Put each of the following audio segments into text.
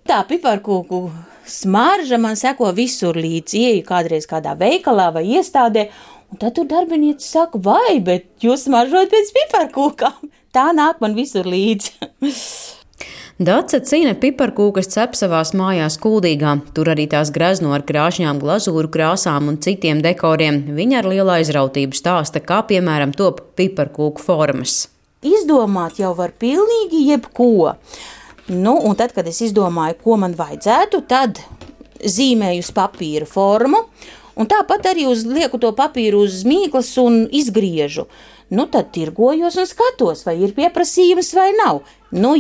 Tā piparkūku smarža man seko visur līdzi. Ieju kādreiz kādā veikalā vai iestādē, un tad tur darbinieci saka, vai, bet jūs smaržojat pēc piparkūkām. Tā nāk man visur līdzi. Dace Cine piparkūkas cep savās mājās Kuldīgā. Tur arī tās grezno ar krāšņām glazūru krāsām un citiem dekoriem. Viņa ar lielu aizrautību stāsta, kā piemēram top piparkūku formas. Izdomāt jau var pilnīgi jebko. Un tad, kad es izdomāju, ko man vajadzētu, tad zīmēju uz papīra formu, un tāpat arī lieku to papīru uz mīklas un izgriežu. Tad tirgojos un skatos, vai ir pieprasījums vai nav.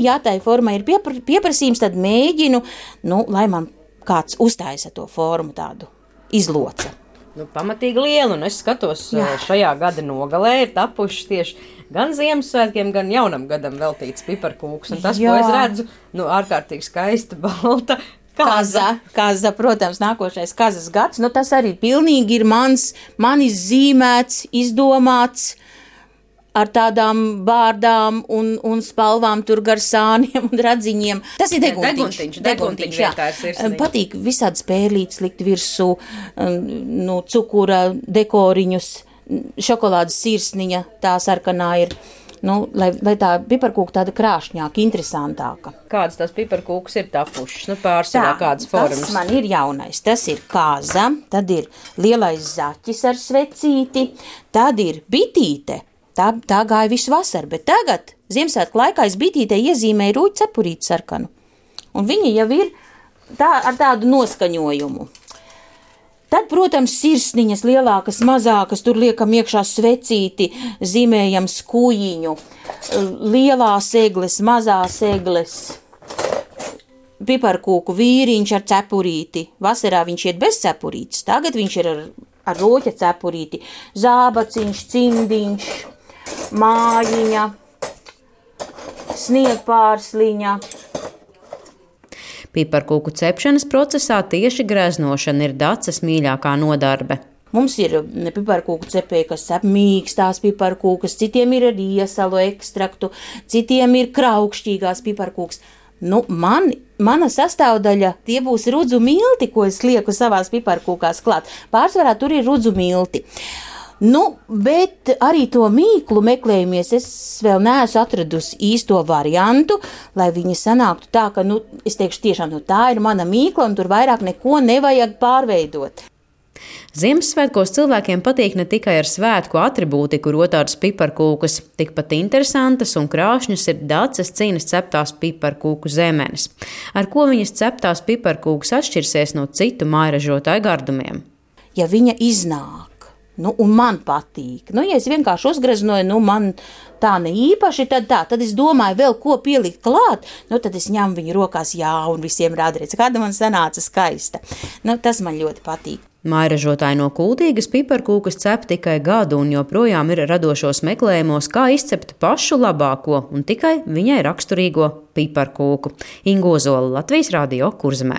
Ja tai formai ir pieprasījums, tad mēģinu, lai man kāds uztaisa to formu tādu izloca. Pamatīgi liela, un es skatos, šajā gada nogalē ir tapuši tieši gan Ziemassvētkiem, gan jaunam gadam veltīts piparkūks. Un tas, ko es redzu, ārkārtīgi skaista, balta. Kaza, protams, nākošais kazas gads, tas arī pilnīgi ir manis zīmēts, izdomāts, ar tādām bārdām un spalvām tur gar sāniem un radziņiem. Tas ir deguntiņš, jā. Patīk visādas pērlītes likt virsū, cukura dekoriņus, šokolādes sirsniņa, tā sarkanā ir, lai tā piparkūka tāda krāšņāka, interesantāka. Kādas tās piparkūkas ir tapušas? Pārsvarā kādas formas? Tas man ir jaunais. Tas ir kāza, tad ir lielais zaķis ar svecīti, tad ir bitīte. Tā gāja visu vasaru, bet tagad, Ziemassvētku laikā, es bitītē iezīmēju rūķu cepurīti sarkanu. Un viņa jau ir ar tādu noskaņojumu. Tad, protams, sirsniņas lielākas, mazākas, tur liekam iekšā svecīti, zīmējam skūjiņu, lielās egles, mazās egles, piparkūku vīriņš ar cepurīti. Vasarā viņš iet bez cepurītes, tagad viņš ir ar roķa cepurīti, zābaciņš, cimdiņš, mājiņa, sniegpārsliņa. Piparkūku cepšanas procesā tieši greznošana ir Daces mīļākā nodarbe. Mums ir piparkūku cepēji, kas cep mīkstās piparkūkas, citiem ir ar iesalu ekstraktu, citiem ir kraukšķīgās piparkūkas. Mana sastāvdaļa, tie būs rudzu milti, ko es lieku savās piparkūkās klāt. Pārsvarā tur ir rudzu milti. Bet arī to mīklu meklējumies, es vēl neesmu atradusi īsto variantu, lai viņa sanāktu tā, ka, es teikšu tiešām, tā ir mana mīkla un tur vairāk neko nevajag pārveidot. Ziemassvētkos cilvēkiem patīk ne tikai ar svētku atribūtiku rotātas piparkūkas, tikpat interesantas un krāšņas ir Daces Cines ceptās piparkūku zemenes. Ar ko viņas ceptās piparkūkas atšķirsies no citu mājražotāju gardumiem? Ja viņa iznāk, un man patīk, ja es vienkārši uzgreznoju, man tā ne īpaši, tad es domāju vēl ko pielikt klāt, tad es ņemu viņu rokās, un visiem rāda, redz, kāda man sanāca skaista. Tas man ļoti patīk. Mājražotāji no Kuldīgas piparkūkas cep tikai gadu un joprojām ir radošos meklējumos, kā izcept pašu labāko un tikai viņai raksturīgo piparkūku. Inga Ozola, Latvijas Radio, Kurzemē.